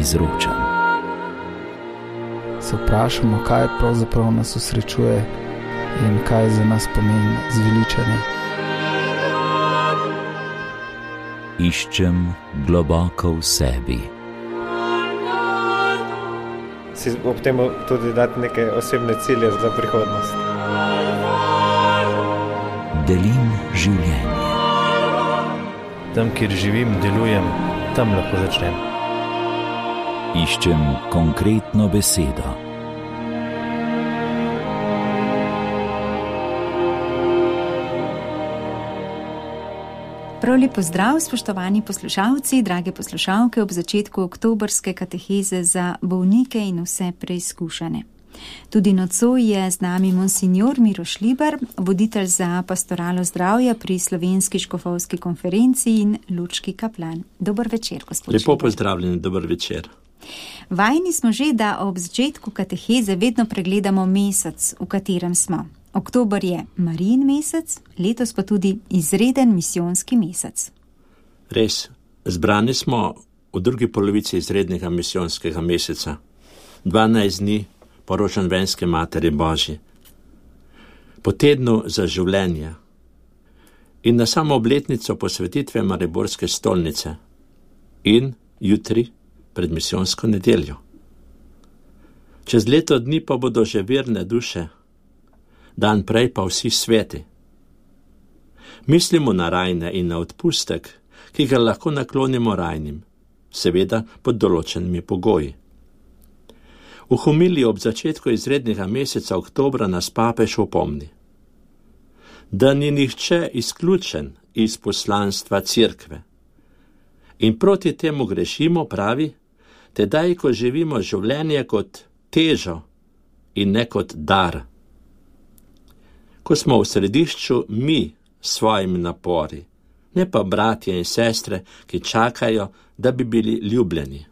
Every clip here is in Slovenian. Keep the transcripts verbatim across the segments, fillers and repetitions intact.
izročam. Se vprašamo, kaj pravzaprav nas osrečuje in kaj za nas pomeni zveličanje. Iščem globoko v sebi. Si ob tem tudi dati neke osebne cilje za prihodnost. Delim življenje. Tam, kjer živim, delujem, tam lahko začnem. Iščem konkretno besedo. Prav lep pozdrav, spoštovani poslušalci, drage poslušalke, ob začetku oktobrske kateheze za bolnike in vse preizkušene. Tudi nocoj je z nami monsignor Miroš Libar, voditelj za pastoralo zdravja pri Slovenski škofovski konferenci in lučki kaplan. Dober večer, gospod Libar. Lepo pozdravljeni, dober večer. Vajni smo že, da ob začetku kateheze vedno pregledamo mesec, v katerem smo. Oktober je Marijin mesec, letos pa tudi izreden misijonski mesec. Res, zbrani smo v drugi polovici izrednega misijonskega meseca, dvanajst dni po rožnovenski Materi Božji, po tednu za življenje in na samo obletnico posvetitve Mariborske stolnice in jutri pred misijonsko nedeljo. Čez leto dni pa bodo že verne duše, dan prej pa vsi sveti. Mislimo na rajne in na odpustek, ki ga lahko naklonimo rajnim, seveda pod določenimi pogoji. V homiliji ob začetku izrednega meseca oktobra nas papež opomni, da ni nihče izključen iz poslanstva cerkve. In proti temu grešimo, pravi, tedaj, ko živimo življenje kot težo in ne kot dar. Ko smo v središču mi s svojimi napori, ne pa bratje in sestre, ki čakajo, da bi bili ljubljeni.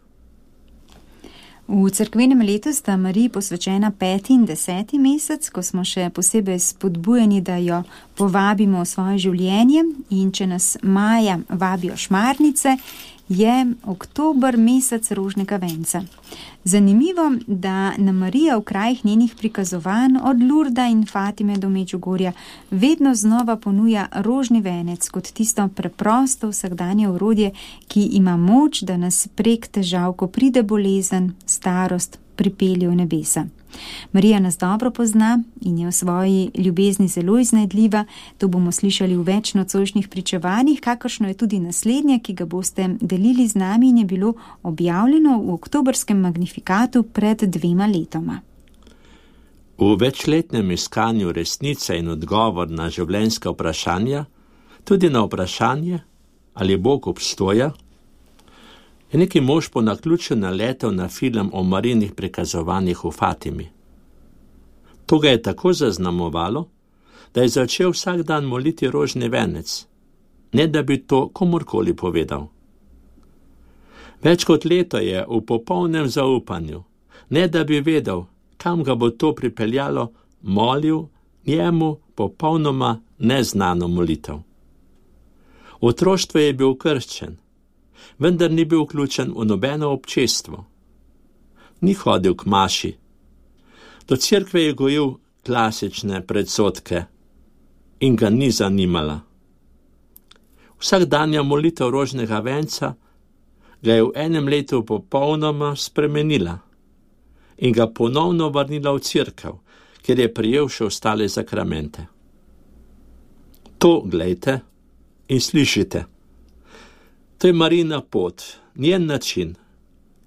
V cerkvenem letu sta Mariji posvečena peti in deseti mesec, ko smo še posebej spodbujeni, da jo povabimo v svoje življenje, in če nas maja vabijo šmarnice, je oktober mesec rožnega venca. Zanimivo, da nam Marija v krajih njenih prikazovanj od Lurda in Fatime do Medžugorja vedno znova ponuja rožni venec kot tisto preprosto vsakdanje orodje, ki ima moč, da nas prek težav, ko pride bolezen, starost, pripelje v nebesa. Marija nas dobro pozna in je v svoji ljubezni zelo iznajdljiva. To bomo slišali v več nocojšnjih pričevanjih, kakršno je tudi naslednje, ki ga boste delili z nami in je bilo objavljeno v oktobrskem magnifikatu pred dvema letoma. V večletnem iskanju resnice in odgovor na življenjska vprašanja, tudi na vprašanje, ali Bog obstoja, je neki mož po naključju naletel na film o Marijinih prikazovanjih v Fatimi. To ga je tako zaznamovalo, da je začel vsak dan moliti rožni venec, ne da bi to komurkoli povedal. Več kot leto je v popolnem zaupanju, ne da bi vedel, kam ga bo to pripeljalo, molil njemu popolnoma neznano molitev. V otroštvu je bil krščen, vendar ni bil vključen v nobeno občestvo. Ni hodil k maši. Do cerkve je gojil klasične predsodke in ga ni zanimala. Vsakdanja molitev rožnega venca ga je v enem letu popolnoma spremenila in ga ponovno vrnila v cerkev, kjer je prijel še ostale zakramente. To glejte in slišite. To je Marijina pot, njen način,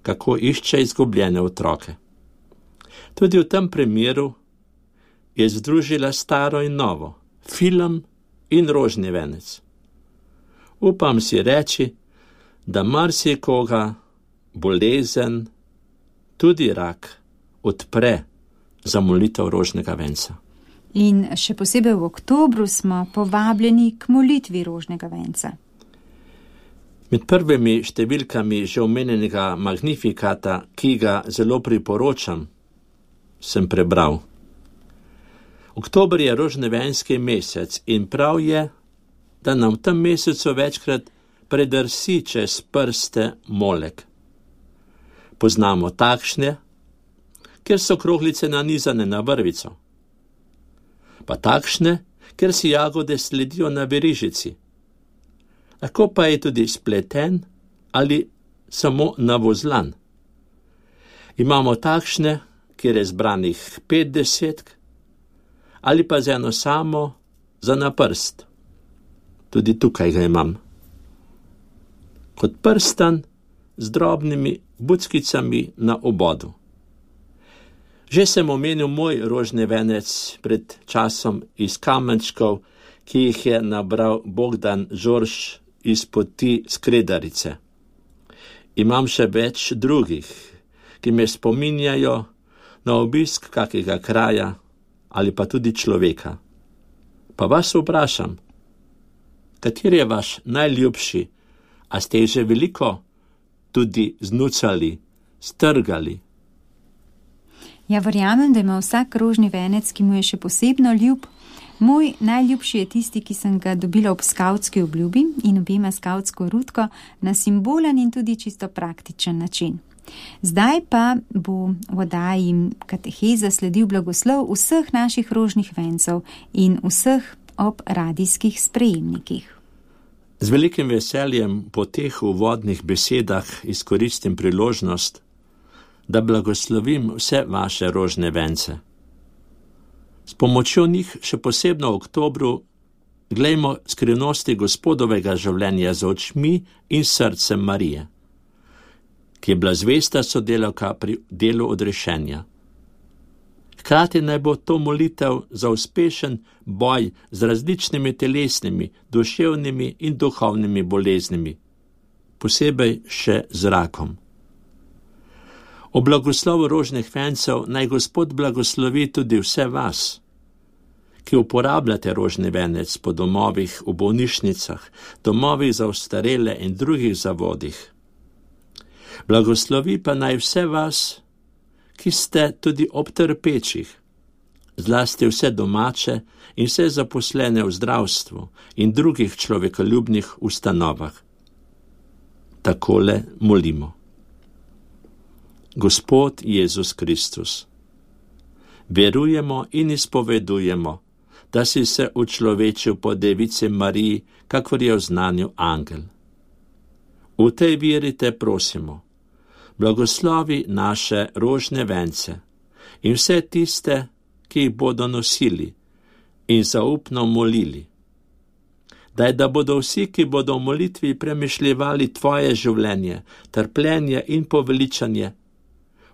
kako išče izgubljene otroke. Tudi v tem primeru je združila staro in novo, film in rožni venec. Upam si reči, da marsikoga bolezen, tudi rak, odpre za molitev rožnega venca. In še posebej v oktobru smo povabljeni k molitvi rožnega venca. Med prvimi številkami že omenjenega magnifikata, ki ga zelo priporočam, sem prebral. Oktober je rožnevenski mesec in prav je, da nam v tem mesecu večkrat predrsi čez prste molek. Poznamo takšne, kjer so kroglice nanizane na vrvico, pa takšne, kjer si jagode sledijo na verižici. Lahko pa je tudi spleten ali samo navozlan. Imamo takšne, kjer je zbranih petdeset, ali pa z eno samo za na prst. Tudi tukaj ga imam. Kot prstan z drobnimi buckicami na obodu. Že sem omenil moj rožni venec pred časom iz kamenčkov, ki jih je nabral Bogdan Žorž iz poti Skredarice. Imam še več drugih, ki me spominjajo na obisk kakega kraja ali pa tudi človeka. Pa vas vprašam, kateri je vaš najljubši, a ste jih že veliko tudi znucali, strgali? Ja, verjamem, da ima vsak rožni venec, ki mu je še posebno ljub. Moj najljubši je tisti, ki sem ga dobila ob skavtski obljubi in obema skavtsko rutko na simbolen in tudi čisto praktičen način. Zdaj pa bo v oddaji Kateheza sledil blagoslov vseh naših rožnih vencev in vseh ob radijskih sprejemnikih. Z velikim veseljem po teh uvodnih besedah izkoristim priložnost, da blagoslovim vse vaše rožne vence. S pomočjo njih še posebno v oktobru glejmo skrivnosti Gospodovega življenja z očmi in srcem Marije, ki je bila zvesta sodelavka pri delu odrešenja. Hkrati naj bo to molitev za uspešen boj z različnimi telesnimi, duševnimi in duhovnimi boleznimi, posebej še z rakom. O blagoslovu rožnih vencev naj Gospod blagoslovi tudi vse vas, ki uporabljate rožni venec po domovih, v bolnišnicah, domovih za ostarele in drugih zavodih. Blagoslovi pa naj vse vas, ki ste tudi ob trpečih, zlasti vse domače in vse zaposlene v zdravstvu in drugih človekoljubnih ustanovah. Takole molimo. Gospod Jezus Kristus, verujemo in izpovedujemo, da si se učlovečil po Devici Mariji, kakor je v znanju angel. V tej veri te prosimo, blagoslovi naše rožne vence in vse tiste, ki jih bodo nosili in zaupno molili. Daj, da bodo vsi, ki bodo v molitvi premišljevali tvoje življenje, trpljenje in poveličanje,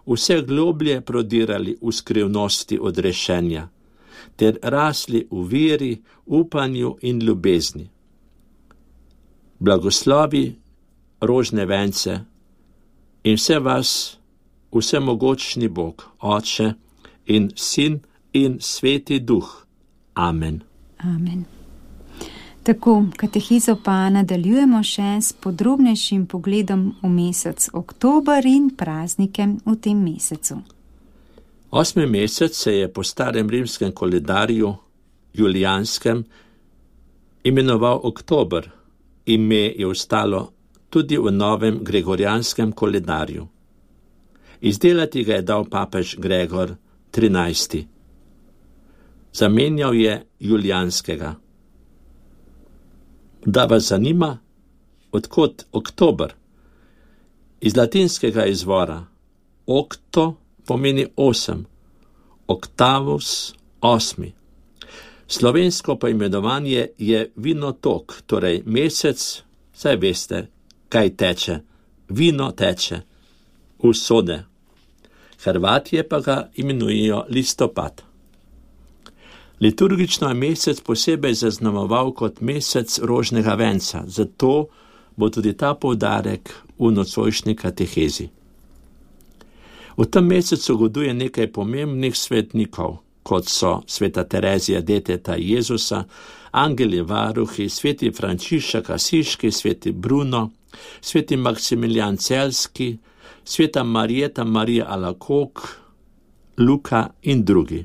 vse globlje prodirali v skrivnosti odrešenja, ter rasli v veri, upanju in ljubezni. Blagoslovi rožne vence in vse vas, vsemogočni Bog, Oče in Sin in Sveti Duh. Amen. Amen. Tako, katehizo pa nadaljujemo še s podrobnejšim pogledom v mesec oktober in praznike v tem mesecu. Osmi mesec se je po starem rimskem koledarju, julijanskem, imenoval oktober, ime je ostalo tudi v novem gregorijanskem koledarju. Izdelati ga je dal papež Gregor trinajsti. Zamenjal je julijanskega. Da vas zanima, odkot oktober? Iz latinskega izvora octo pomeni osem, octavus osmi. Slovensko poimenovanje je vinotok, torej mesec, saj veste, kaj teče, vino teče, usode. Hrvatje pa ga imenujejo listopad. Liturgično je mesec posebej zaznamoval kot mesec rožnega venca, zato bo tudi ta poudarek v nocojšnji katehezi. V tem mesecu goduje nekaj pomembnih svetnikov, kot so sveta Terezija deteta Jezusa, angeli varuhi, sveti Frančišek Asiški, sveti Bruno, sveti Maksimilijan Celski, sveta Marijeta Marija Alakok, Luka in drugi.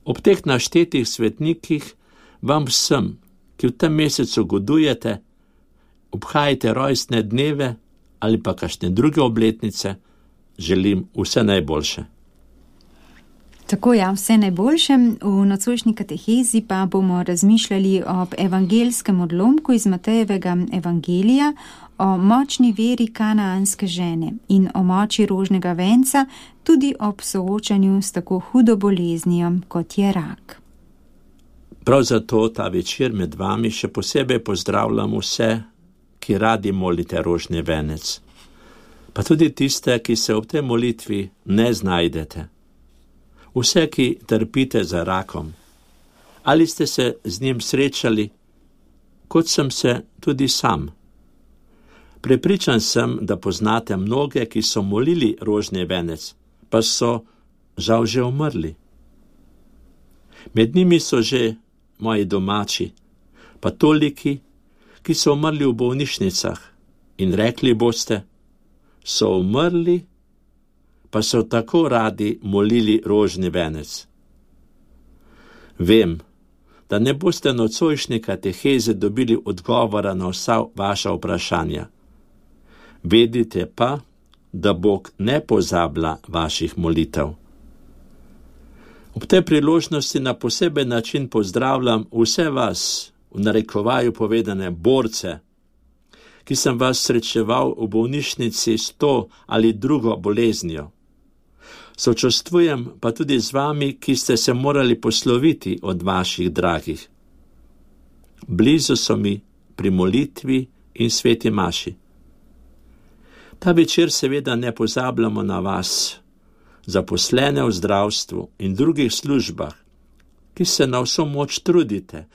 Ob teh naštetih svetnikih vam vsem, ki v tem mesecu godujete, obhajate rojstne dneve ali pa kakšne druge obletnice, želim vse najboljše. Tako ja, vse najboljše. V nocojšnji katehezi pa bomo razmišljali ob evangelskem odlomku iz Matejevega evangelija, o močni veri kanaanske žene in o moči rožnega venca, tudi ob soočanju s tako hudo boleznijo, kot je rak. Prav zato ta večer med vami še posebej pozdravljam vse, ki radi molite rožni venec, pa tudi tiste, ki se ob tej molitvi ne znajdete. Vse, ki trpite za rakom, ali ste se z njim srečali, kot sem se tudi sam. Prepričan sem, da poznate mnoge, ki so molili rožni venec, pa so žal že umrli. Med njimi so že moji domači, pa toliki, ki so umrli v bolnišnicah, in rekli boste, so umrli, pa so tako radi molili rožni venec. Vem, da ne boste nocojšnje kateheze dobili odgovora na vsa vaša vprašanja. Vedite pa, da Bog ne pozablja vaših molitev. Ob tej priložnosti na poseben način pozdravljam vse vas, v narekovaju povedane borce, ki sem vas srečeval v bolnišnici s to ali drugo boleznijo. Sočustvujem pa tudi z vami, ki ste se morali posloviti od vaših dragih. Blizu so mi pri molitvi in sveti maši. Ta večer seveda ne pozabljamo na vas, zaposlene v zdravstvu in drugih službah, ki se na vso moč trudite,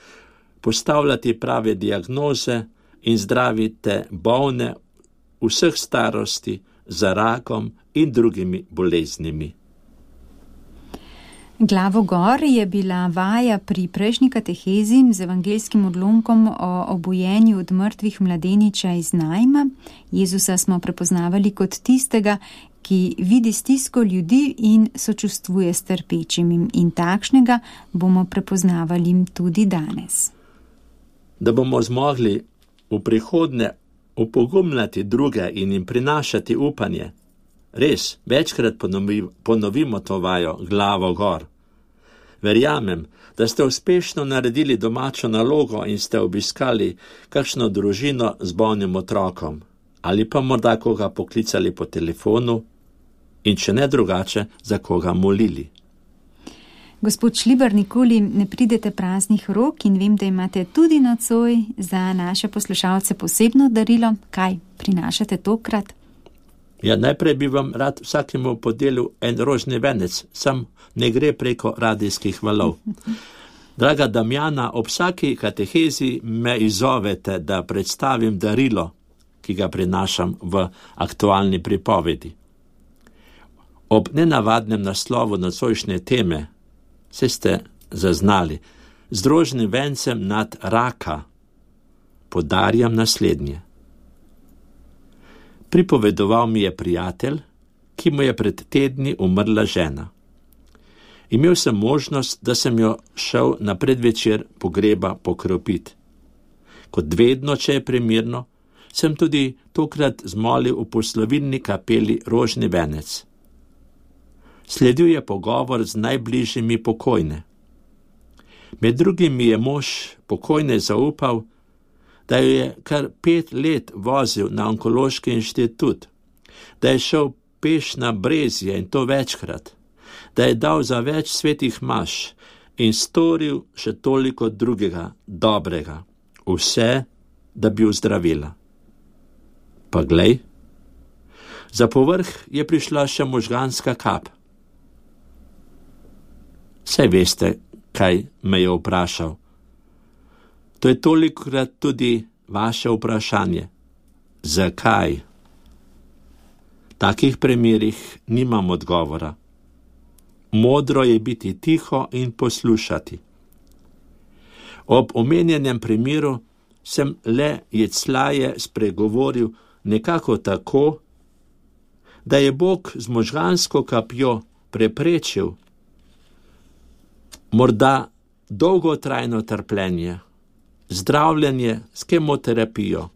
postavljati prave diagnoze in zdravite bolne vseh starosti za rakom in drugimi boleznimi. Glavo gor je bila vaja pri prejšnji katehezi z evangelskim odlomkom o obujenju od mrtvih mladeniča iz Najma. Jezusa smo prepoznavali kot tistega, ki vidi stisko ljudi in sočustvuje s trpečimi, in takšnega bomo prepoznavali tudi danes. Da bomo zmogli v prihodnje opogumljati druge in jim prinašati upanje, res, večkrat ponovimo to vajo, glavo gor. Verjamem, da ste uspešno naredili domačo nalogo in ste obiskali kakšno družino z bolnim otrokom, ali pa morda koga poklicali po telefonu in če ne drugače, za koga molili. Gospod Šlibar, nikoli ne pridete praznih rok in vem, da imate tudi nocoj za naše poslušalce posebno darilo. Kaj prinašate tokrat? Ja, najprej bi vam rad vsakemu podelil en rožni venec, sam ne gre preko radijskih valov. Draga Damjana, ob vsaki katehezi me izzovete, da predstavim darilo, ki ga prinašam v aktualni pripovedi. Ob nenavadnem naslovu nocojšnje teme, se ste zaznali, z rožnim vencem nad raka podarjam naslednje. Pripovedoval mi je prijatelj, ki mu je pred tedni umrla žena. Imel sem možnost, da sem jo šel na predvečer pogreba pokropiti. Kot vedno, če je primirno, sem tudi tokrat zmolil v poslovilni kapeli rožni venec. Sledil je pogovor z najbližjimi pokojne. Med drugim mi je mož pokojne zaupal, da jo je kar pet let vozil na onkološki inštitut, da je šel peš na Brezje in to večkrat, da je dal za več svetih maš in storil še toliko drugega dobrega, vse, da bi ozdravila. Pa glej, za povrh je prišla še možganska kap. Saj veste, kaj me je vprašal. To je tolikokrat tudi vaše vprašanje. Zakaj? V takih primerih nimam odgovora. Modro je biti tiho in poslušati. Ob omenjenem primeru sem le jeclaje spregovoril nekako tako, da je Bog z možgansko kapjo preprečil morda dolgotrajno trpljenje, zdravljenje s kemoterapijo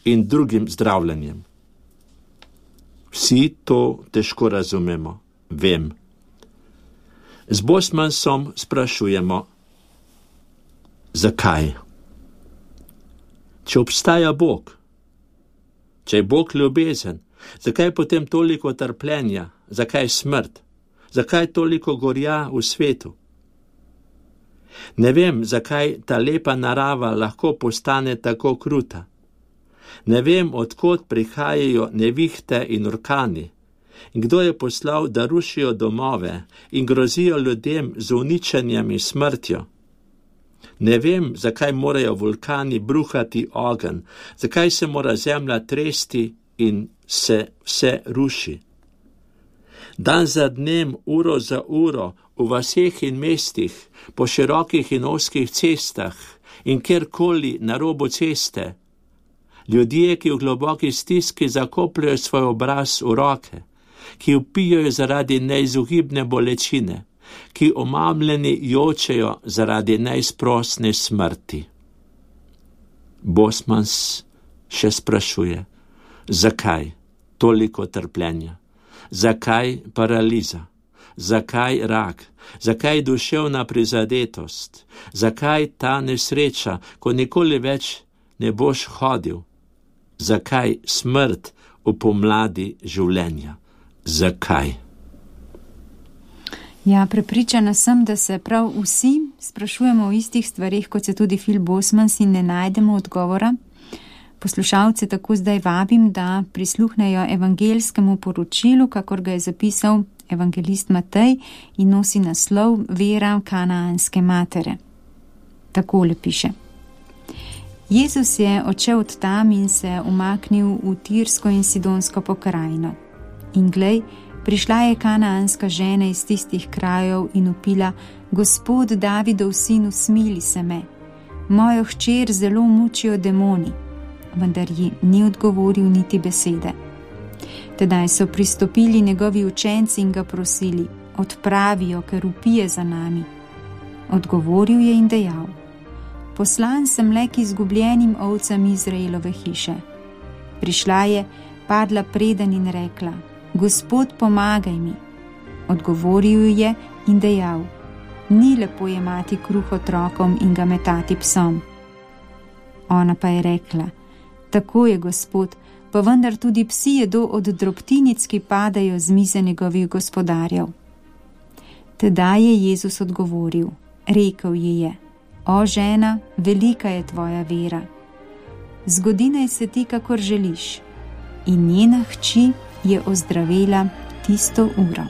in drugim zdravljenjem. Vsi to težko razumemo, vem. Z Bosmansom sprašujemo, zakaj? Če obstaja Bog, če je Bog ljubezen, zakaj potem toliko trpljenja, zakaj smrt, zakaj toliko gorja v svetu? Ne vem, zakaj ta lepa narava lahko postane tako kruta. Ne vem, odkot prihajajo nevihte in orkani, in kdo je poslal, da rušijo domove in grozijo ljudem z uničenjem in smrtjo. Ne vem, zakaj morajo vulkani bruhati ogenj, zakaj se mora zemlja tresti in se vse ruši. Dan za dnem, uro za uro, v vaseh in mestih, po širokih in ozkih cestah in kjerkoli na robu ceste, ljudje, ki v globoki stiski zakopljajo svoj obraz v roke, ki vpijajo zaradi neizogibne bolečine, ki omamljeni jočejo zaradi neizprosne smrti. Bosmans še sprašuje, zakaj toliko trpljenja, zakaj paraliza, zakaj rak, zakaj duševna prizadetost, zakaj ta nesreča, ko nikoli več ne boš hodil, zakaj smrt v pomladi življenja, zakaj? Ja, prepričana sem, da se prav vsi sprašujemo o istih stvarih, kot se tudi Phil Bosmans, in ne najdemo odgovora. Poslušalce tako zdaj vabim, da prisluhnejo evangeljskemu poročilu, kakor ga je zapisal evangelist Matej in nosi naslov Vera kanaanske matere. Takole piše. Jezus je odšel od tam in se umaknil v Tirsko in Sidonsko pokrajino. In glej, prišla je kanaanska žena iz tistih krajev in vpila: Gospod Davidov sin, usmili se me. Mojo hčer zelo mučijo demoni. Vendar ji ni odgovoril niti besede. Tedaj so pristopili njegovi učenci in ga prosili: Odpravijo, ker vpije za nami. Odgovoril je in dejal: Poslan sem le k izgubljenim ovcam Izraelove hiše. Prišla je, padla preden in rekla: Gospod, pomagaj mi. Odgovoril je in dejal: Ni lepo jemati kruh otrokom in ga metati psom. Ona pa je rekla: Tako je, Gospod, pa vendar tudi psi jedo od drobtinic, ki padajo z mize njegovih gospodarjev. Tedaj je Jezus odgovoril, rekel ji je: O žena, velika je tvoja vera. Zgodi naj se ti, kakor želiš. In njena hči je ozdravela tisto uro.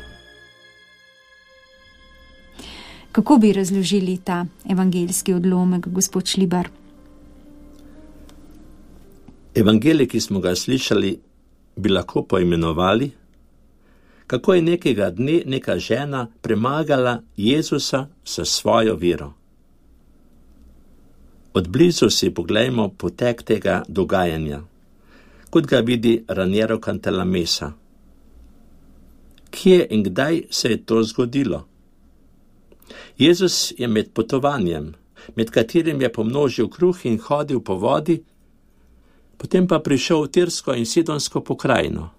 Kako bi razložili ta evangeljski odlomek, gospod Šlibar? Evangelij, ki smo ga slišali, bi lahko poimenovali, kako je nekega dne neka žena premagala Jezusa s svojo vero. Od blizu si poglejmo potek tega dogajanja, kot ga vidi Raniero Cantalamessa. Kje in kdaj se je to zgodilo? Jezus je med potovanjem, med katerim je pomnožil kruh in hodil po vodi, potem pa prišel v Tirsko in Sidonsko pokrajino.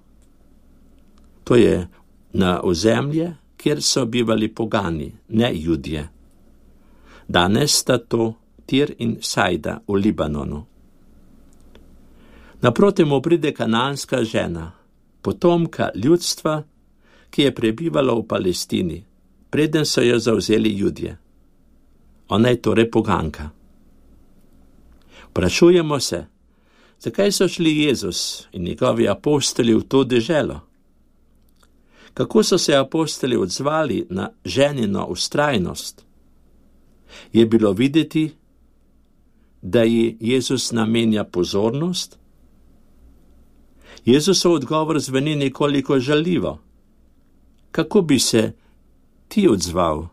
To je na ozemlje, kjer so bivali pogani, ne Judje. Danes sta to Tir in Sajda v Libanonu. Naproti mu pride kanaanska žena, potomka ljudstva, ki je prebivalo v Palestini, preden so jo zavzeli Judje. Ona je torej poganka. Vprašujemo se, zakaj so šli Jezus in njegovi apostoli v to deželo? Kako so se apostoli odzvali na ženino vztrajnost? Je bilo videti, da ji Jezus namenja pozornost? Jezusov odgovor zveni nekoliko žaljivo. Kako bi se ti odzval,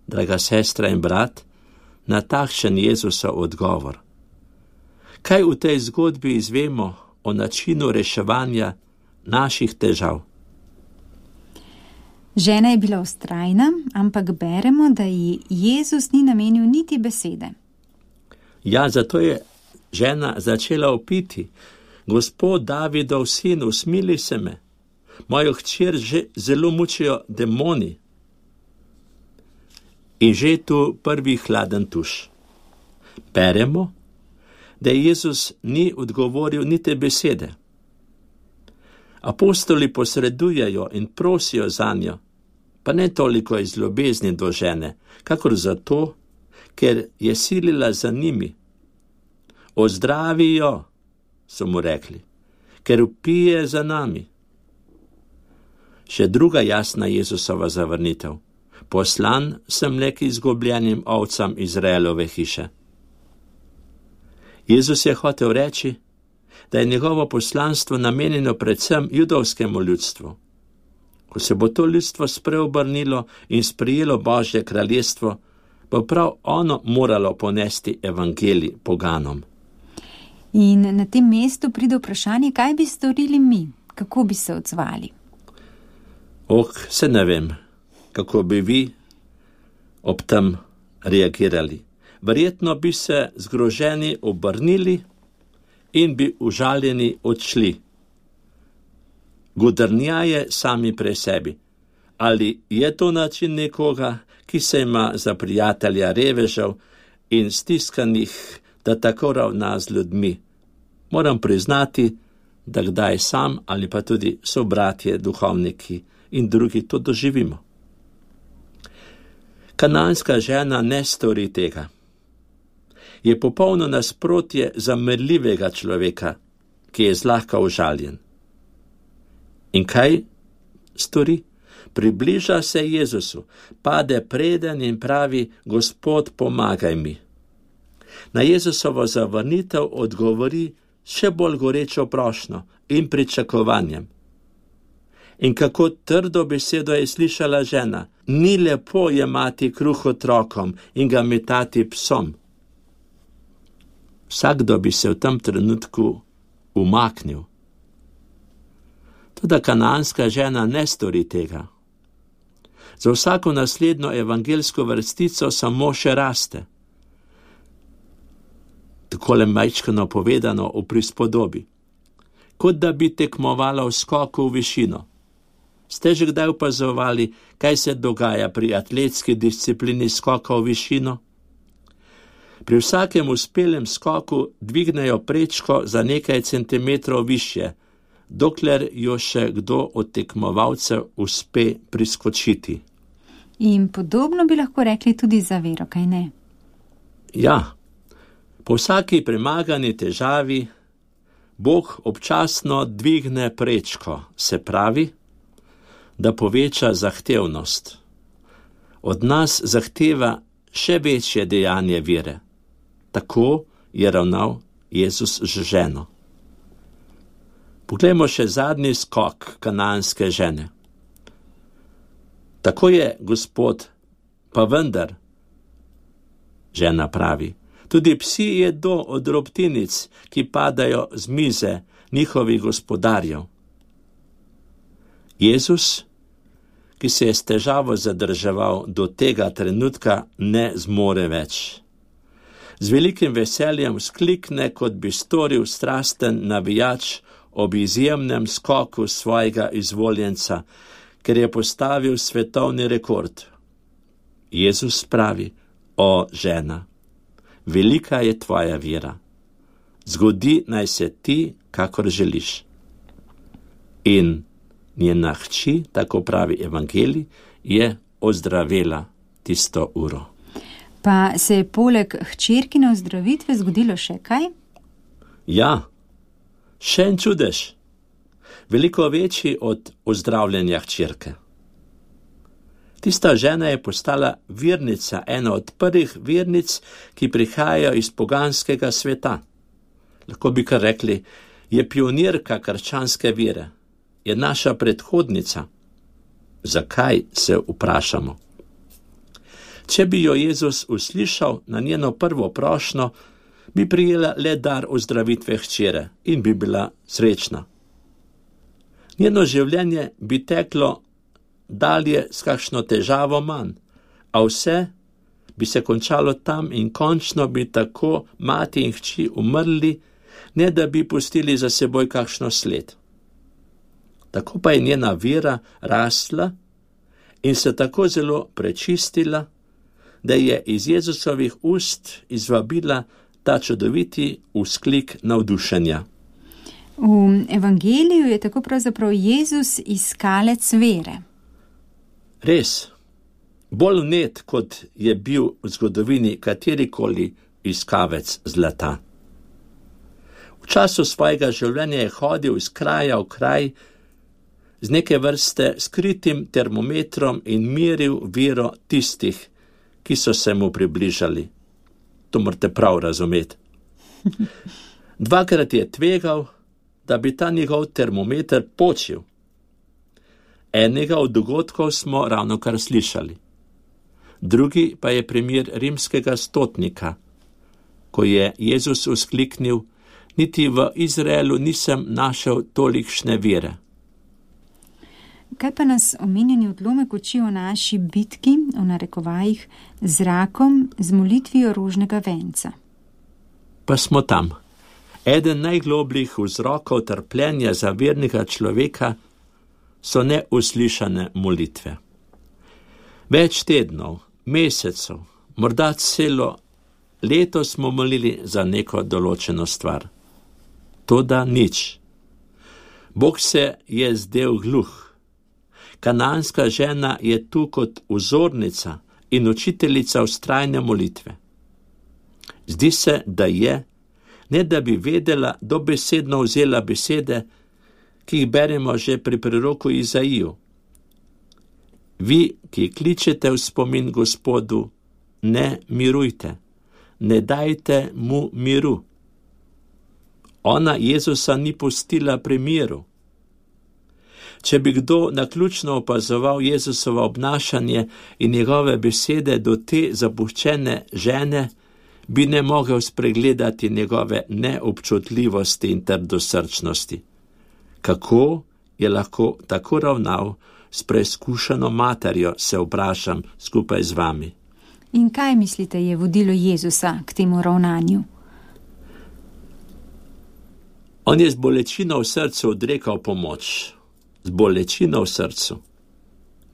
draga sestra in brat, na takšen Jezusov odgovor? Kaj v tej zgodbi izvemo o načinu reševanja naših težav? Žena je bila vztrajna, ampak beremo, da ji Jezus ni namenil niti besede. Ja, zato je žena začela vpiti: Gospod Davidov sin, usmili se me. mojo hčer že zelo mučijo demoni. In že tu prvi hladen tuš. Beremo, da Jezus ni odgovoril niti besede. Apostoli posredujejo in prosijo zanjo, pa ne toliko iz ljubezni do žene, kakor zato, ker je silila za njimi. Ozdravijo, so mu rekli, ker vpije za nami. Še druga jasna Jezusova zavrnitev. Poslan sem le k izgubljenim ovcam Izraelove hiše. Jezus je hotel reči, da je njegovo poslanstvo namenjeno predvsem judovskemu ljudstvu. Ko se bo to ljudstvo spreobrnilo in sprijelo Božje kraljestvo, bo prav ono moralo ponesti evangelij poganom. In na tem mestu pride vprašanje, kaj bi storili mi, kako bi se odzvali. Oh, se ne vem, kako bi vi ob tem reagirali. Verjetno bi se zgroženi obrnili in bi užaljeni odšli. Godrnjaje sami pri sebi. Ali je to način nekoga, ki se ima za prijatelja revežev in stiskanih, da tako ravna z ljudmi? Moram priznati, da kdaj sam ali pa tudi sobratje, duhovniki in drugi to doživimo. Kananska žena ne stori tega. Je popolno nasprotje zamerljivega človeka, ki je zlahka užaljen. In kaj stori? Približa se Jezusu, pade preden in pravi: Gospod, pomagaj mi. Na Jezusovo zavrnitev odgovori še bolj gorečo prošnjo in pričakovanjem. In kako trdo besedo je slišala žena: ni lepo jemati kruh otrokom in ga metati psom. Vsakdo bi se v tem trenutku umaknil. Toda kananska žena ne stori tega. Za vsako naslednjo evangelsko vrstico samo še raste. Takole majčkano povedano v prispodobi. Kot da bi tekmovala v skoku v višino. Ste že kdaj opazovali, kaj se dogaja pri atletski disciplini skoka v višino? Pri vsakem uspelem skoku dvignejo prečko za nekaj centimetrov višje, dokler jo še kdo od tekmovalcev uspe priskočiti. In podobno bi lahko rekli tudi za vero, kaj ne? Ja, po vsaki premagani težavi Bog občasno dvigne prečko, se pravi, da poveča zahtevnost. Od nas zahteva še večje dejanje vere. Tako je ravnal Jezus z ženo. Poglejmo še zadnji skok kananske žene. Tako je, Gospod, pa vendar, žena pravi, tudi psi jedo od drobtinic, ki padajo z mize njihovih gospodarjev. Jezus, ki se je s težavo zadrževal do tega trenutka, ne zmore več. Z velikim veseljem sklikne, kot bi storil strasten navijač ob izjemnem skoku svojega izvoljenca, ker je postavil svetovni rekord. Jezus pravi: o žena, velika je tvoja vera. Zgodi naj se ti, kakor želiš. In njena hči, tako pravi evangelij, je ozdravela tisto uro. Pa se je poleg hčerkine ozdravitve zgodilo še kaj? Ja, še en čudež, veliko večji od ozdravljenja hčerke. Tista žena je postala vernica, ena od prvih vernic, ki prihajajo iz poganskega sveta. Lahko bi kar rekli, je pionirka krščanske vere, je naša predhodnica. Zakaj, se vprašamo. Če bi jo Jezus uslišal na njeno prvo prošnjo, bi prijela le dar ozdravitve hčere in bi bila srečna. Njeno življenje bi teklo dalje s kakšno težavo manj, a vse bi se končalo tam in končno bi tako mati in hči umrli, ne da bi pustili za seboj kakšno sled. tako pa je njena vera rasla in se tako zelo prečistila, da je iz Jezusovih ust izvabila ta čudoviti vzklik navdušenja. V evangeliju je tako pravzaprav Jezus iskalec vere. Res, bolj vnet, kot je bil v zgodovini katerikoli iskavec zlata. V času svojega življenja je hodil iz kraja v kraj z neke vrste skritim termometrom in meril vero tistih, ki so se mu približali. To morate prav razumeti. Dvakrat je tvegal, da bi ta njegov termometer počil. Enega od dogodkov smo ravno kar slišali. Drugi pa je primer rimskega stotnika, ko je Jezus vzkliknil: niti v Izraelu nisem našel tolikšne vere. Kaj pa nas omenjeni odlomek uči o naši bitki, o narekovajih, z rakom, z molitvijo rožnega venca? Pa smo tam. Eden najglobljih vzrokov trpljenja za vernega človeka so neuslišane molitve. Več tednov, mesecev, morda celo leto smo molili za neko določeno stvar. Toda nič. Bog se je zdel gluh. Kananska žena je tu kot vzornica in učiteljica vztrajne molitve. Zdi se, da je, ne da bi vedela, dobesedno vzela besede, ki jih beremo že pri preroku Izaiju. Vi, ki kličete v spomin Gospodu, ne mirujte, ne dajte mu miru. Ona Jezusa ni pustila pri miru. Če bi kdo naključno opazoval Jezusovo obnašanje in njegove besede do te zapuščene žene, bi ne mogel spregledati njegove neobčutljivosti in trdosrčnosti. Kako je lahko tako ravnal s preizkušeno materjo, se vprašam skupaj z vami. In kaj mislite je vodilo Jezusa k temu ravnanju? On je z bolečino v srcu odrekal pomoč. Z bolečino v srcu.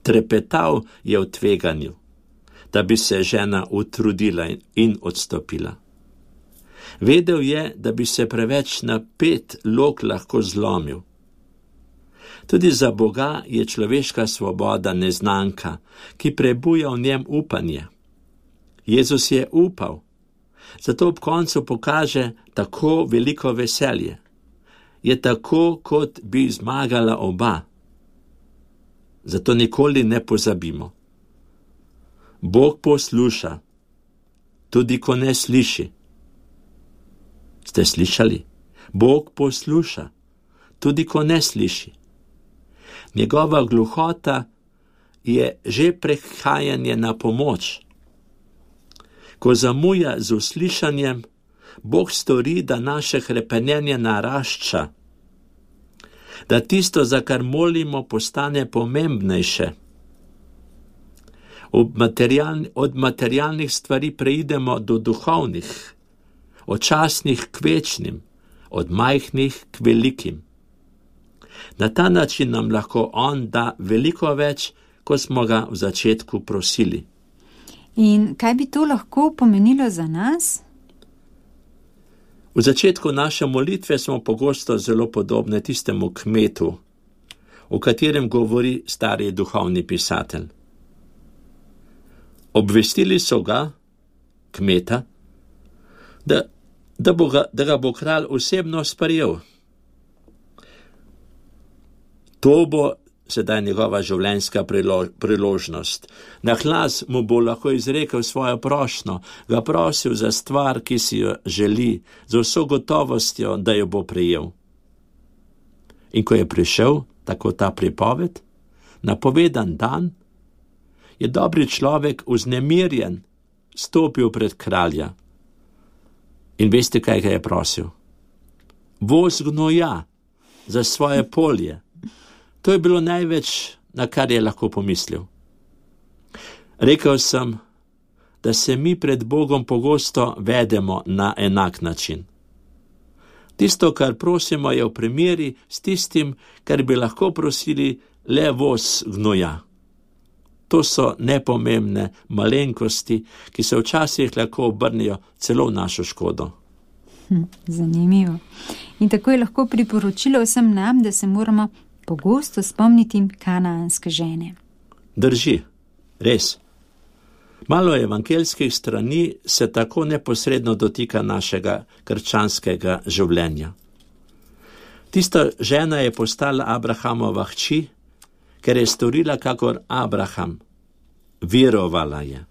Trepetal je v tveganju, da bi se žena utrudila in odstopila. Vedel je, da bi se preveč napet lok lahko zlomil. Tudi za Boga je človeška svoboda neznanka, ki prebuja v njem upanje. Jezus je upal, zato ob koncu pokaže tako veliko veselje. Je tako, kot bi zmagala oba. Zato nikoli ne pozabimo. Bog posluša, tudi ko ne sliši. Ste slišali? Bog posluša, tudi ko ne sliši. Njegova gluhota je že prehajanje na pomoč. Ko zamuja z uslišanjem, Bog stori, da naše hrepenenje narašča, da tisto, za kar molimo, postane pomembnejše. Od, materialni, od materialnih stvari preidemo do duhovnih, od častnih k večnim, od majhnih k velikim. Na ta način nam lahko on da veliko več, kot smo ga v začetku prosili. In kaj bi to lahko pomenilo za nas? V začetku naše molitve smo pogosto zelo podobne tistemu kmetu, o katerem govori stari duhovni pisatelj. Obvestili so ga, kmeta, da, da, bo ga, da ga bo kralj osebno sprejel. To bo sedaj njegova življenjska priložnost. Na glas mu bo lahko izrekel svojo prošnjo, ga prosil za stvar, ki si jo želi, z vso gotovostjo, da jo bo prejel. In ko je prišel, tako ta pripoved, napovedan dan, je dobri človek vznemirjen stopil pred kralja. In veste, kaj ga je prosil? Voz gnoja za svoje polje. To je bilo največ, na kar je lahko pomislil. Rekel sem, da se mi pred Bogom pogosto vedemo na enak način. Tisto, kar prosimo, je v primeri s tistim, kar bi lahko prosili le voz gnoja. To so nepomembne malenkosti, ki se včasih lahko obrnijo celo v našo škodo. Hm, zanimivo. In tako je lahko priporočilo vsem nam, da se moramo pogosto spomniti kanaanske žene. Drži, res. Malo evangeljskih strani se tako neposredno dotika našega krščanskega življenja. Tista žena je postala Abrahamova hči, ker je storila kakor Abraham. Verovala je.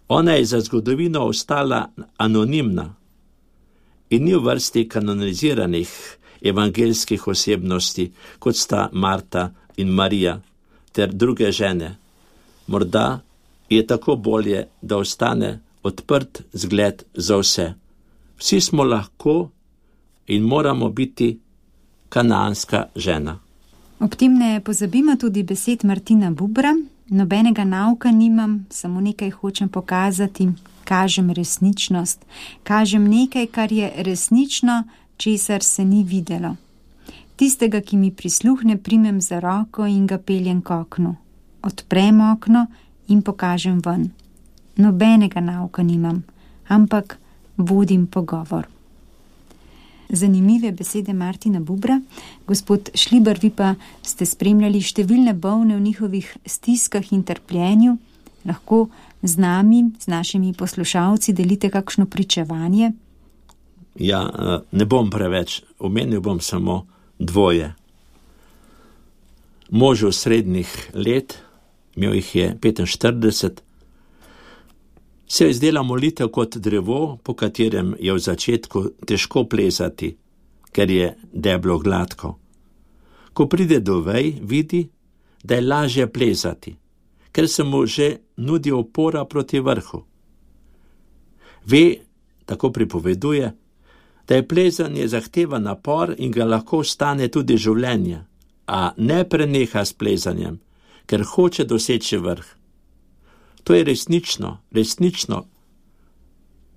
Ona je za zgodovino ostala anonimna in ni v vrsti kanoniziranih evangeljskih osebnosti, kot sta Marta in Marija ter druge žene. Morda je tako bolje, da ostane odprt zgled za vse. Vsi smo lahko in moramo biti kanaanska žena. Ob tem ne pozabimo tudi besed Martina Bubra. Nobenega nauka nimam, samo nekaj hočem pokazati, kažem resničnost, kažem nekaj, kar je resnično, česar se ni videlo. Tistega, ki mi prisluhne, primem za roko in ga peljem k oknu. Odprem okno in pokažem ven. Nobenega nauka nimam, ampak vodim pogovor. Zanimive besede Martina Bubra. Gospod Šlibar, vi pa ste spremljali številne bolne v njihovih stiskah in trpljenju. Lahko z nami, z našimi poslušalci delite kakšno pričevanje? Ja, ne bom preveč, omenil bom samo dvoje. Možu srednjih let, imel jih je petinštirideset, se je zdela molitev kot drevo, po katerem je v začetku težko plezati, ker je deblo gladko. Ko pride do vej, vidi, da je lažje plezati, ker se mu že nudi opora proti vrhu. Ve, tako pripoveduje, da je plezanje zahteva napor in ga lahko stane tudi življenje, a ne preneha s plezanjem, ker hoče doseči vrh. To je resnično, resnično.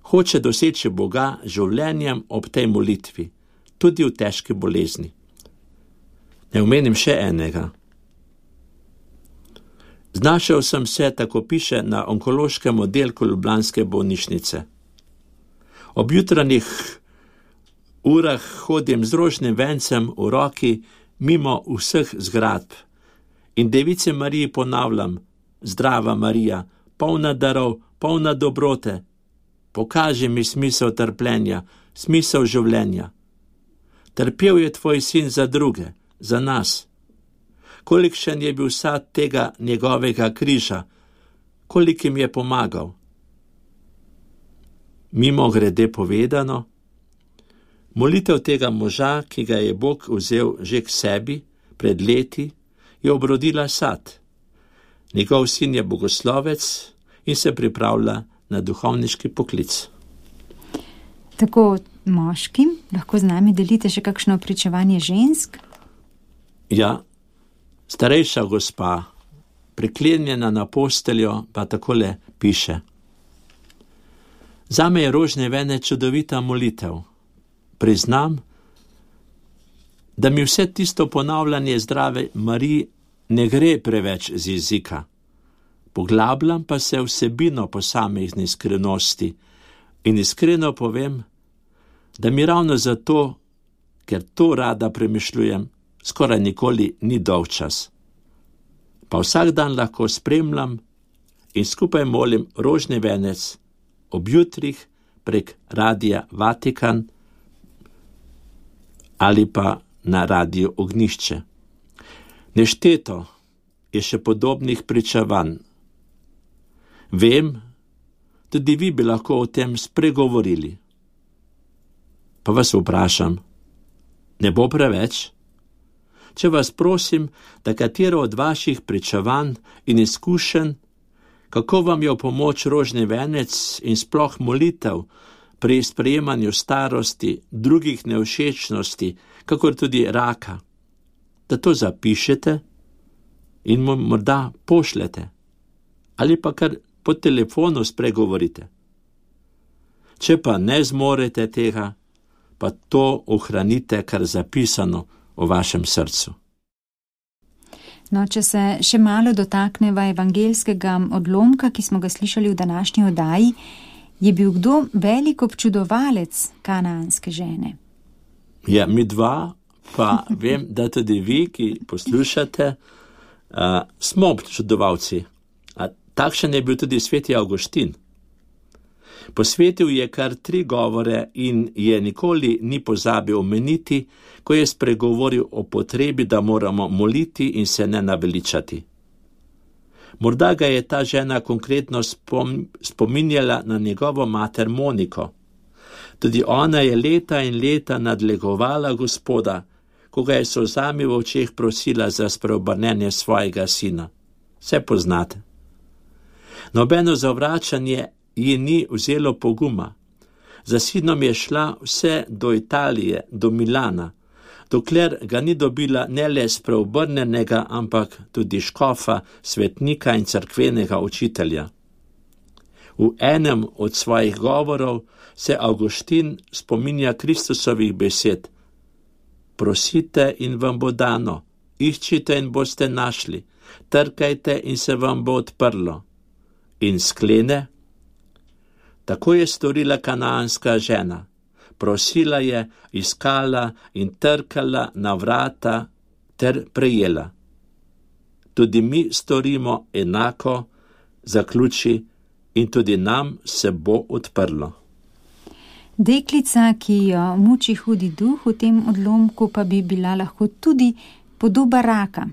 Hoče doseči Boga življenjem ob tej molitvi, tudi v težki bolezni. Ne omenim še enega. Znašel sem se, tako piše, na onkološkem oddelku ljubljanske bolnišnice. Ob jutranjih urah hodim z rožnim vencem v roki mimo vseh zgradb in Devici Mariji ponavljam: Zdrava Marija, polna darov, polna dobrote, pokaži mi smisel trpljenja, smisel življenja. Trpel je tvoj sin za druge, za nas. Kolikšen je bil sad tega njegovega križa, kolikim je pomagal. Mimo grede povedano, molitev tega moža, ki ga je Bog vzel že k sebi pred leti, je obrodila sad. Njegov sin je bogoslovec in se pripravlja na duhovniški poklic. Tako moški, lahko z nami delite še kakšno pričevanje žensk? Ja, starejša gospa, priklenjena na posteljo, pa takole piše: Zame je rožni venec čudovita molitev. Priznam, da mi vse tisto ponavljanje Zdrave Mariji ne gre preveč z jezika. Poglabljam pa se vsebino posamezne iskrenosti in iskreno povem, da mi ravno zato, ker to rada premišljujem, skoraj nikoli ni dolgčas. Pa vsak dan lahko spremljam in skupaj molim rožni venec ob jutrih prek Radia Vatikan ali pa na Radiu Ognjišče. Nešteto je še podobnih pričevanj. Vem, tudi vi bi lahko o tem spregovorili. Pa vas vprašam, ne bo preveč? Če vas prosim, da katero od vaših pričevanj in izkušenj, kako vam je v pomoč rožni venec in sploh molitev pri sprejemanju starosti, drugih nevšečnosti, kakor tudi raka, da to zapišete in mu morda pošljete ali pa kar po telefonu spregovorite. Če pa ne zmorete tega, pa to ohranite kar zapisano v vašem srcu. No, če se še malo dotakneva evangelskega odlomka, ki smo ga slišali v današnji oddaji, je bil kdo velik občudovalec kanaanske žene? Ja, mi dva, pa vem, da tudi vi, ki poslušate, uh, smo občudovalci. A takšen je bil tudi sveti Avguštin. Posvetil je kar tri govore in je nikoli ni pozabil omeniti, ko je spregovoril o potrebi, da moramo moliti in se ne naveličati. Morda ga je ta žena konkretno spom, spominjala na njegovo mater Moniko. Tudi ona je leta in leta nadlegovala Gospoda, ko ga je s solzami v očeh prosila za spreobrnenje svojega sina. Vse poznate. Nobeno zavračanje ji ni vzelo poguma. Za sinom je šla vse do Italije, do Milana, dokler ga ni dobila ne le spreobrnenega, ampak tudi škofa, svetnika in cerkvenega učitelja. V enem od svojih govorov se Avguštin spominja Kristusovih besed: prosite in vam bo dano, iščite in boste našli, trkajte in se vam bo odprlo. In sklene: tako je storila kanaanska žena. Prosila je, iskala in trkala na vrata ter prejela. Tudi mi storimo enako, zaključi, in tudi nam se bo odprlo. Deklica, ki jo muči hudi duh, v tem odlomku pa bi bila lahko tudi podoba raka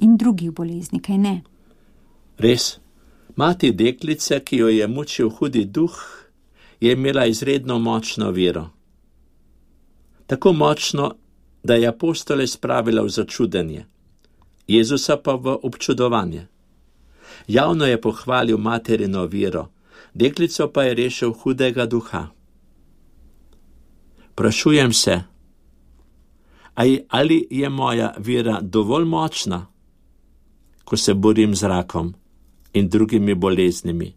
in drugih bolezni, kaj ne? Res, mati deklice, ki jo je mučil hudi duh, je imela izredno močno vero. Tako močno, da je apostole spravila v začudenje, Jezusa pa v občudovanje. Javno je pohvalil materino vero, deklico pa je rešil hudega duha. Sprašujem se, ali je moja vera dovolj močna, ko se borim z rakom in drugimi boleznimi?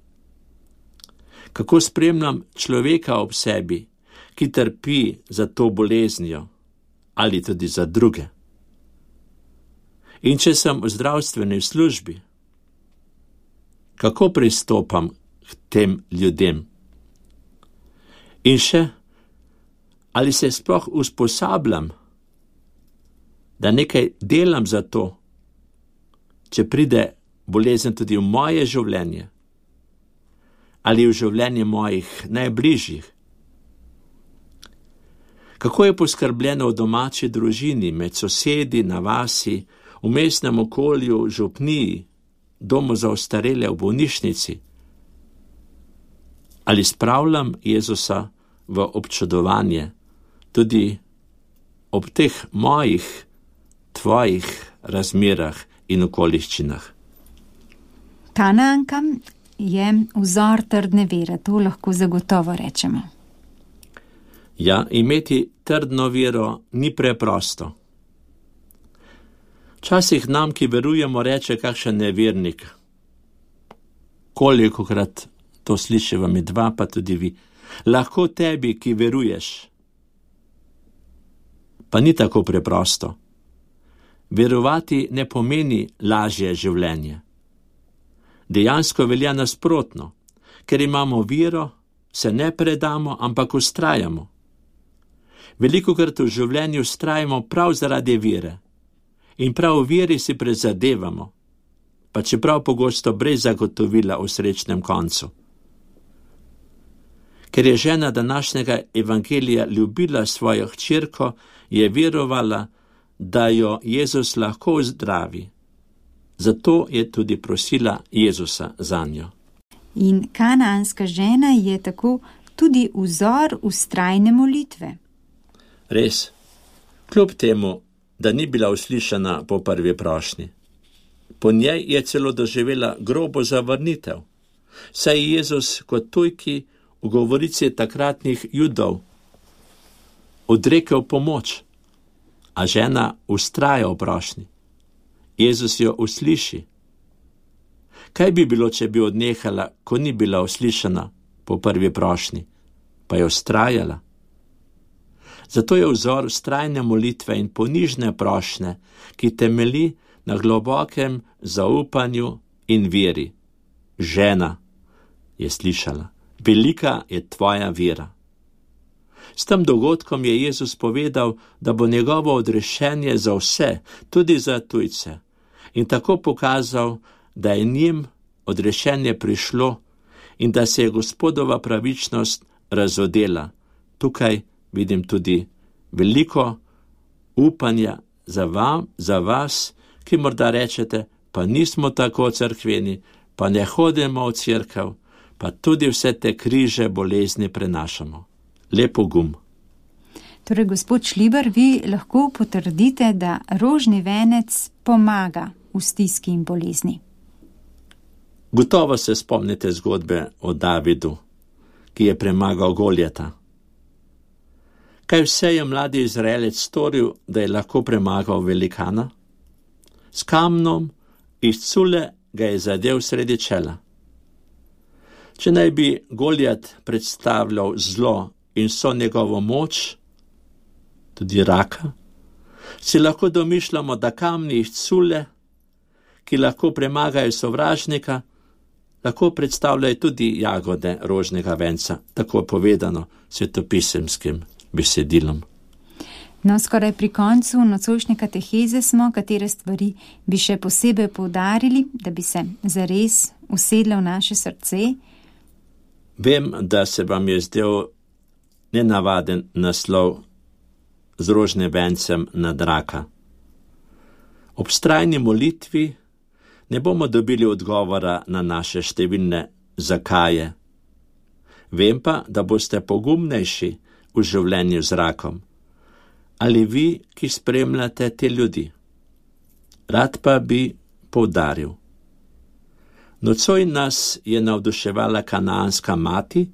Kako spremljam človeka ob sebi, ki trpi za to boleznijo ali tudi za druge? In če sem v zdravstveni službi, kako pristopam k tem ljudem? In še, ali se sploh usposabljam, da nekaj delam za to, če pride bolezen tudi v moje življenje ali v življenje mojih najbližjih? Kako je poskrbljeno v domači družini, med sosedi, na vasi, v mestnem okolju, v župniji, domu za ostarele, v bolnišnici? Ali spravljam Jezusa v občudovanje tudi ob teh mojih, tvojih razmerah in okoliščinah? Kanaanka je vzor trdne vere, to lahko zagotovo rečemo. Ja, imeti trdno vero ni preprosto. Včasih nam, ki verujemo, reče kakšen nevernik. Kolikokrat to slišiva mi dva, pa tudi vi. Lahko tebi, ki veruješ. Pa ni tako preprosto. Verovati ne pomeni lažje življenje. Dejansko velja nasprotno. Ker imamo vero, se ne predamo, ampak vztrajamo. Velikokrat v življenju vztrajamo prav zaradi vere. In prav v veri si prizadevamo, pa čeprav pogosto brez zagotovila o srečnem koncu. Ker je žena današnjega evangelija ljubila svojo hčerko, je verovala, da jo Jezus lahko zdravi. Zato je tudi prosila Jezusa zanjo. In kanaanska žena je tako tudi vzor vztrajne molitve. Res, kljub temu, da ni bila uslišana po prvi prošnji. Po njej je celo doživela grobo zavrnitev, saj je Jezus kot tujki v govorici takratnih Judov odrekel pomoč, a žena vztraja v prošnji. Jezus jo usliši. Kaj bi bilo, če bi odnehala, ko ni bila uslišana po prvi prošnji, pa je vztrajala? Zato je vzor vztrajne molitve in ponižne prošnje, ki temeli na globokem zaupanju in veri. Žena, je slišala, velika je tvoja vera. S tem dogodkom je Jezus povedal, da bo njegovo odrešenje za vse, tudi za tujce, in tako pokazal, da je njim odrešenje prišlo in da se je Gospodova pravičnost razodela. Tukaj vidim tudi veliko upanja za, vam, za vas, ki morda rečete, pa nismo tako cerkveni, pa ne hodimo v cerkev, pa tudi vse te križe bolezni prenašamo. Lepo gum. Torej, gospod Šlibar, vi lahko potrdite, da rožni venec pomaga v stiski in bolezni. Gotovo se spomnite zgodbe o Davidu, ki je premagal Goljata. Kaj vse je mladi Izraelec storil, da je lahko premagal velikana? S kamnom iz cule ga je zadel sredi čela. Če naj bi Goljat predstavljal zlo in so njegovo moč, tudi raka, si lahko domišljamo, da kamni iz cule, ki lahko premagajo sovražnika, lahko predstavljajo tudi jagode rožnega venca, tako povedano svetopisemskim besedilom. No, skoraj pri koncu nocojšnje kateheze smo, katere stvari bi še posebej poudarili, da bi se zares usedle v naše srce. Vem, da se vam je zdel nenavaden naslov z rožnim vencem nad raka. Ob vztrajni molitvi ne bomo dobili odgovora na naše številne zakaje. Vem pa, da boste pogumnejši v življenju z rakom. Ali vi, ki spremljate te ljudi? Rad pa bi poudaril. Nocoj nas je navduševala kanaanska mati,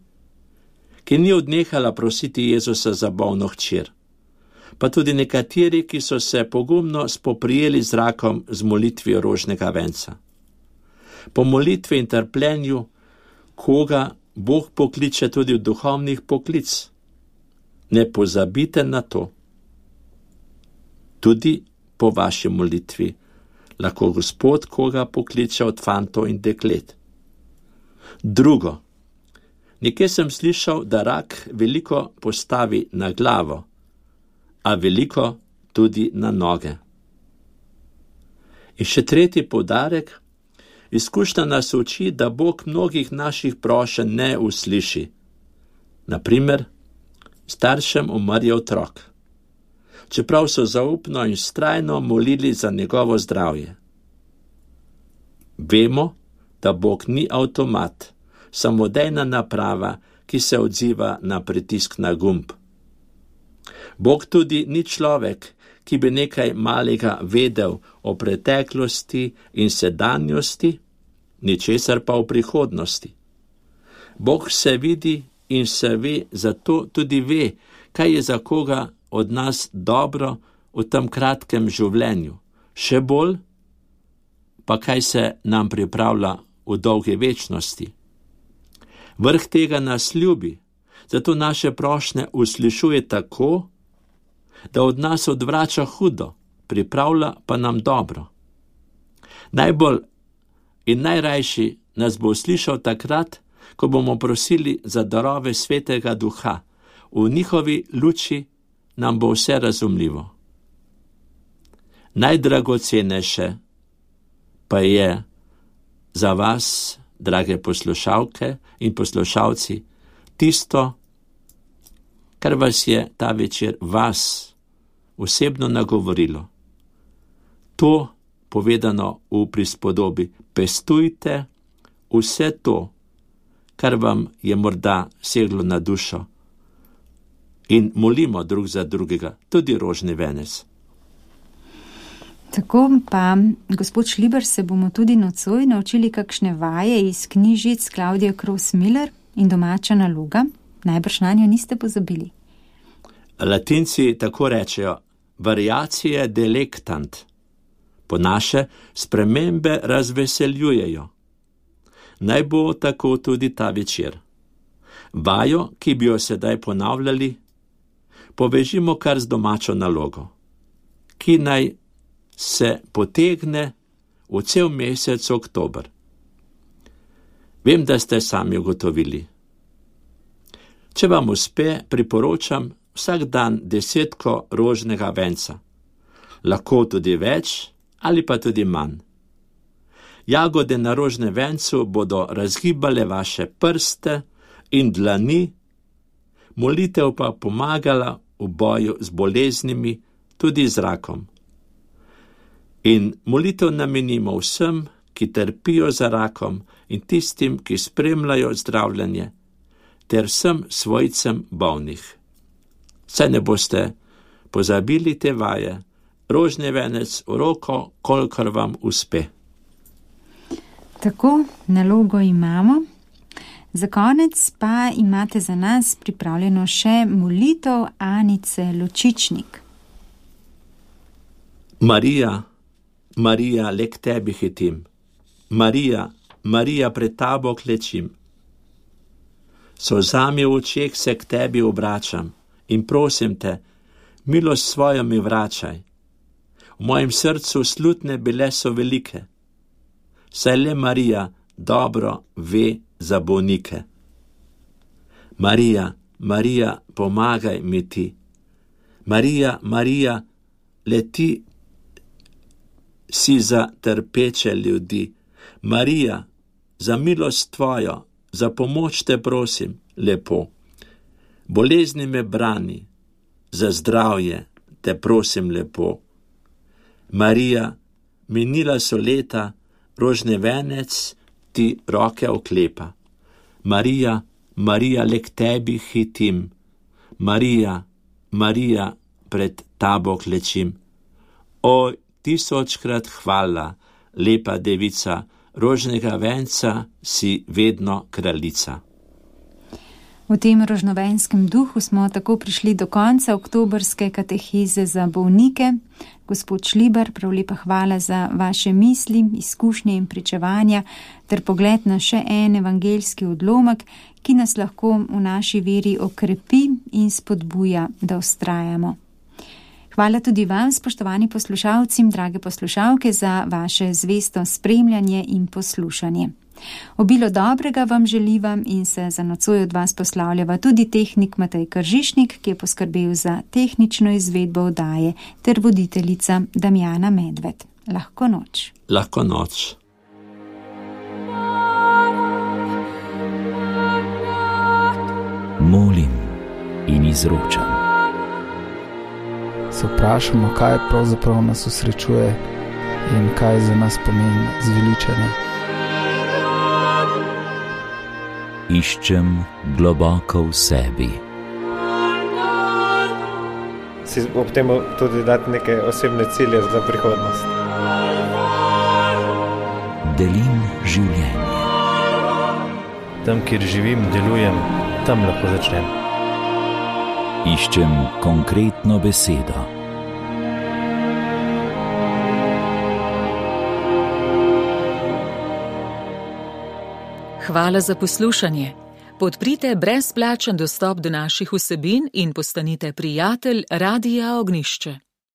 ki ni odnehala prositi Jezusa za bolno hčer, pa tudi nekateri, ki so se pogumno spoprijeli z rakom z molitvijo rožnega venca. Po molitvi in trpljenju, koga Bog pokliče tudi v duhovnih poklic. Ne pozabite na to. Tudi po vaši molitvi lahko Gospod koga pokliče od fantov in deklet. Drugo. Nekje sem slišal, da rak veliko postavi na glavo, a veliko tudi na noge. In še tretji poudarek. Izkušnja nas uči, da Bog mnogih naših prošenj ne usliši. Naprimer, staršem umrl otrok, čeprav so zaupno in vztrajno molili za njegovo zdravje. Vemo, da Bog ni avtomat, samodejna naprava, ki se odziva na pritisk na gumb. Bog tudi ni človek, ki bi nekaj malega vedel o preteklosti in sedanjosti, ničesar pa o prihodnosti. Bog se vidi in se ve, zato tudi ve, kaj je za koga od nas dobro v tem kratkem življenju. Še bolj pa kaj se nam pripravlja v dolgi večnosti. Vrh tega nas ljubi, zato naše prošnje uslišuje tako, da od nas odvrača hudo, pripravlja pa nam dobro. Najbolj in najrajši nas bo slišal takrat, ko bomo prosili za darove Svetega Duha. V njihovi luči nam bo vse razumljivo. Najdragocenejše pa je za vas, drage poslušalke in poslušalci, tisto, kar vas je ta večer vas osebno nagovorilo. To, povedano v prispodobi, pestujte vse to, kar vam je morda seglo na dušo, in molimo drug za drugega, tudi rožni venec. Tako pa, gospod Šlibar, se bomo tudi nocoj naučili kakšne vaje iz knjižic Klaudije Kros-Miller in Domača naloga. Najbrž na njo niste pozabili. Latinci tako rečejo, variacije delectant. Po naše spremembe razveseljujejo. Naj bo tako tudi ta večer. Vajo, ki bi jo sedaj ponavljali, povežimo kar z domačo nalogo, ki naj se potegne v cel mesec oktober. Vem, da ste sami ugotovili. Če vam uspe, priporočam vsak dan desetko rožnega venca, lahko tudi več ali pa tudi manj. Jagode na rožnem vencu bodo razgibale vaše prste in dlani, molitev pa pomagala v boju z boleznimi, tudi z rakom. In molitev namenimo vsem, ki trpijo za rakom in tistim, ki spremljajo zdravljenje, ter vsem svojcem bolnih. Saj ne boste pozabili te vaje, rožni venec v roko, kolikor vam uspe. Tako, nalogo imamo. Za konec pa imate za nas pripravljeno še molitev Anice Lučičnik. Marija, Marija, le k tebi hitim. Marija, Marija, pred tabo klečim. Solzami v očeh se k tebi obračam in prosim te, milost svojo mi vračaj. V mojem srcu slutne bile so velike, saj le Marija dobro ve za bolnike. Marija, Marija, pomagaj mi ti. Marija, Marija, le ti si za trpeče ljudi. Marija, za milost tvojo, za pomoč te prosim, lepo. Bolezni me brani, za zdravje te prosim lepo. Marija, minila so leta, rožni venec ti roke oklepa. Marija, Marija, le k tebi hitim. Marija, Marija, pred tabo klečim. O, tisočkrat hvala, lepa devica, rožnega venca si vedno kraljica. V tem rožnovenskem duhu smo tako prišli do konca oktobrske kateheze za bolnike. Gospod Šlibar, prav lepa hvala za vaše misli, izkušnje in pričevanja ter pogled na še en evangeljski odlomek, ki nas lahko v naši veri okrepi in spodbuja, da vztrajamo. Hvala tudi vam, spoštovani poslušalci, drage poslušalke, za vaše zvesto spremljanje in poslušanje. Obilo dobrega vam želiva in se za nocoj od vas poslavljava tudi tehnik Matej Kržišnik, ki je poskrbel za tehnično izvedbo oddaje, ter voditeljica Damjana Medved. Lahko noč. Lahko noč. Molim in izročam. Se vprašamo, kaj pravzaprav nas osrečuje in kaj za nas pomeni zveličanje. Iščem globoko v sebi. Si ob tem tudi dati neke osebne cilje za prihodnost. Delim življenje. Tam, kjer živim, delujem, tam lahko začnem. Iščem konkretno besedo. Hvala za poslušanje. Podprite brezplačen dostop do naših vsebin in postanite prijatelj Radia Ognjišče.